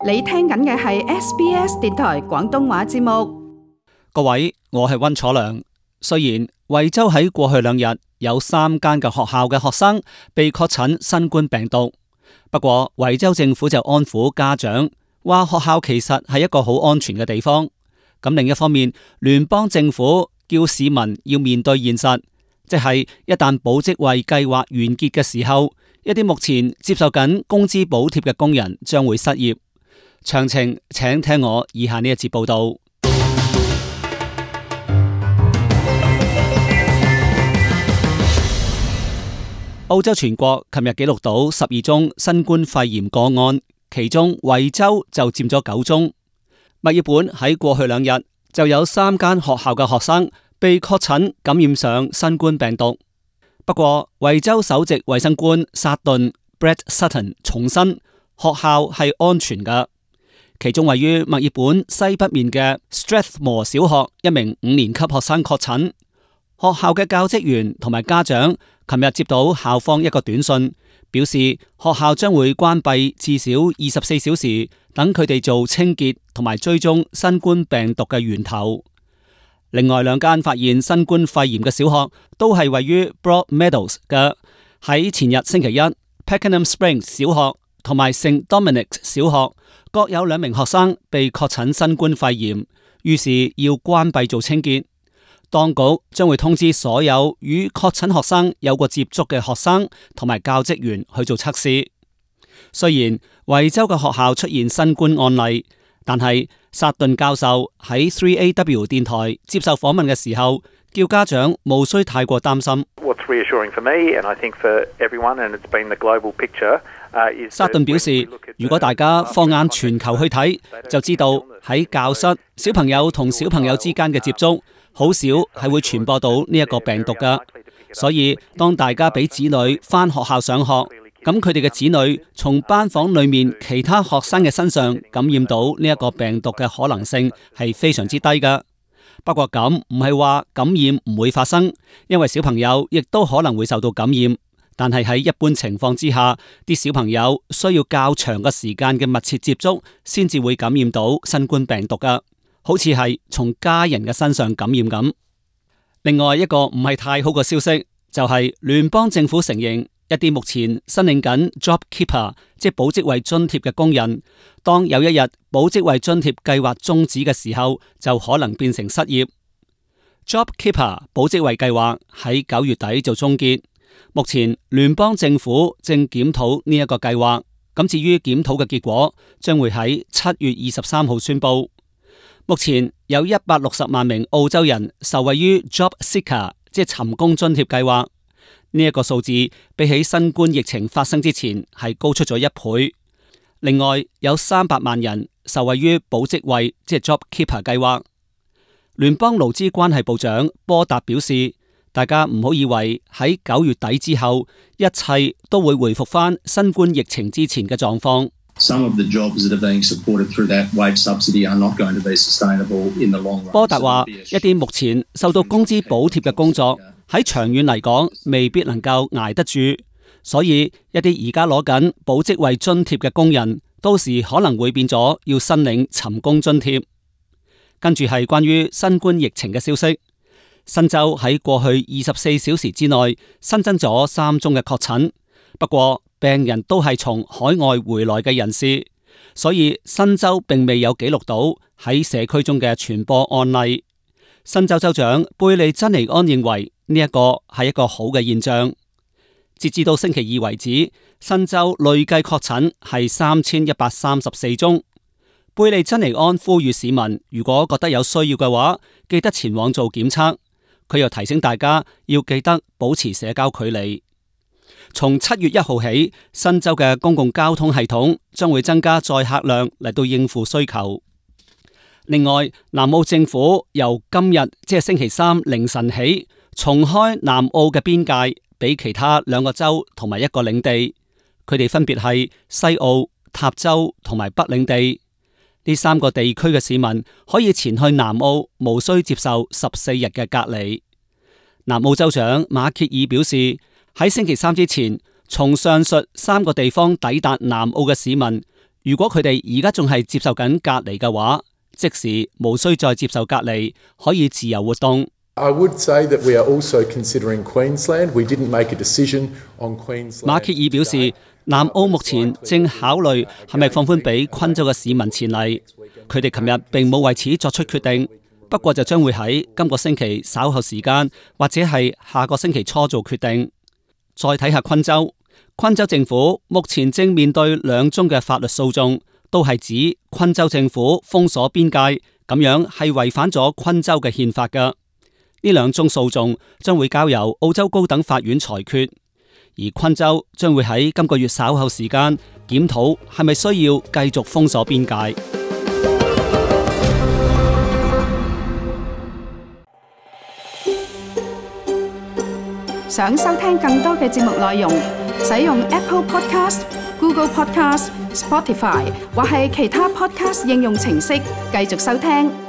你聽緊嘅係 SBS 電台廣東話節目。各位，我係溫楚良。雖然惠州喺過去2日有3間嘅學校嘅學生被確診新冠病毒，不過惠州政府就安撫家長，話學校其實係一個好安全嘅地方。咁另一方面，聯邦政府叫市民要面對現實，即係一旦保職位計劃完結嘅時候，一啲目前接受緊工資補貼嘅工人將會失業。詳情請聽我以下呢一節報道。澳洲全國琴日記錄到12宗新冠肺炎個案，其中惠州就佔咗9宗。墨爾本喺過去2日就有3間學校嘅學生被確診感染上新冠病毒。不過惠州首席衛生官薩頓 Brett Sutton 重申學校係安全㗎。其中位於墨爾本西北面嘅 Strathmore 小學一名5年級學生確診，學校嘅教職員同埋家長琴日接到校方一個短信，表示學校將會關閉至少24小時，等佢哋做清潔同埋追蹤新冠病毒嘅源頭。另外2間發現新冠肺炎嘅小學都係位於 Broadmeadows 嘅，喺前日星期一 Pakenham Springs 小學同埋 St Dominic 小學各有2名學生被確診新冠肺炎，於是要關閉做清潔。當局將會通知所有與確診學生有過接觸嘅學生同埋教職員去做測試。雖然惠州嘅學校出現新冠案例，但係薩頓教授喺 3AW 電台接受訪問嘅時候，叫家長無需太過擔心。薩頓表示，如果大家放眼全球去睇，就知道喺教室小朋友同小朋友之間嘅接觸好少係會傳播到呢一個病毒㗎。所以當大家俾子女返學校上學，咁佢哋嘅子女從班房裏面其他學生嘅身上感染到呢一個病毒嘅可能性係非常之低㗎。不過咁唔係話感染唔會發生，因為小朋友亦都可能會受到感染。但係喺一般情況之下，啲小朋友需要較長嘅時間嘅密切接觸，先至會感染到新冠病毒㗎，好似係從家人嘅身上感染咁。另外一個唔係太好嘅消息，就係聯邦政府承認一啲目前申領緊 JobKeeper 即係保職位津貼嘅工人，當有一日保職位津貼計劃終止嘅時候，就可能變成失業。JobKeeper 保職位計劃喺9月底就終結。目前聯邦政府正檢討呢一個計劃，咁至於檢討嘅結果，將會喺7月23號宣布。目前有160萬名澳洲人受惠於 JobSeeker 即係尋工津貼計劃，呢一個數字比起新冠疫情發生之前係高出咗1倍。另外有300萬人受惠於保職位即係 JobKeeper 計劃。聯邦勞資關係部長波達表示，大家唔好以為喺9月底之後，一切都會回復返新冠疫情之前嘅狀況。波達話，一啲目前受到工資補貼嘅工作喺長遠嚟講未必能夠捱得住，所以一啲而家攞緊保職位津貼嘅工人，到時可能會變咗要申領尋工津貼。跟住係關於新冠疫情嘅消息。新州喺過去24小時之內新增咗3宗嘅確診，不過病人都係從海外回來嘅人士，所以新州並未有記錄到喺社區中嘅傳播案例。新州州長貝利珍尼安認為呢一個係一個好嘅現象。截至到星期2為止，新州累計確診係3134宗。貝利珍尼安呼籲市民，如果覺得有需要嘅話，記得前往做檢測。佢又提醒大家要記得保持社交距離。從7月1號起，新州嘅公共交通系統將會增加載客量嚟到應付需求。另外，南澳政府由今日即係星期3凌晨起，重開南澳嘅邊界俾其他2個州同埋1個領地，佢哋分別係西澳、塔州同埋北領地。呢3個地區嘅市民可以前去南澳，無需接受14日嘅隔離。南澳州長馬歇爾表示，喺星期3之前，從上述3個地方抵達南澳嘅市民，如果佢哋而家仲係接受緊隔離嘅話，即時無需再接受隔離，可以自由活動。I would say that we are also considering Queensland. We didn't make a decision on Queensland. 馬歇爾表示，南澳目前正考慮係咪放寬俾昆州嘅市民前嚟。佢哋琴日並冇為此作出決定，不過就將會喺今個星期稍後時間或者係下個星期初做決定。再睇下昆州，昆州政府目前正面對2宗嘅法律訴訟，都係指昆州政府封鎖邊界，咁樣係違反咗昆州嘅憲法㗎。呢2宗訴訟將會交由澳洲高等法院裁決，而昆州將會喺今個月稍後時間檢討係咪需要繼續封鎖邊界。想收聽更多嘅節目內容，使用 Apple Podcast、Google Podcast、Spotify 或係其他 Podcast 應用程式繼續收聽。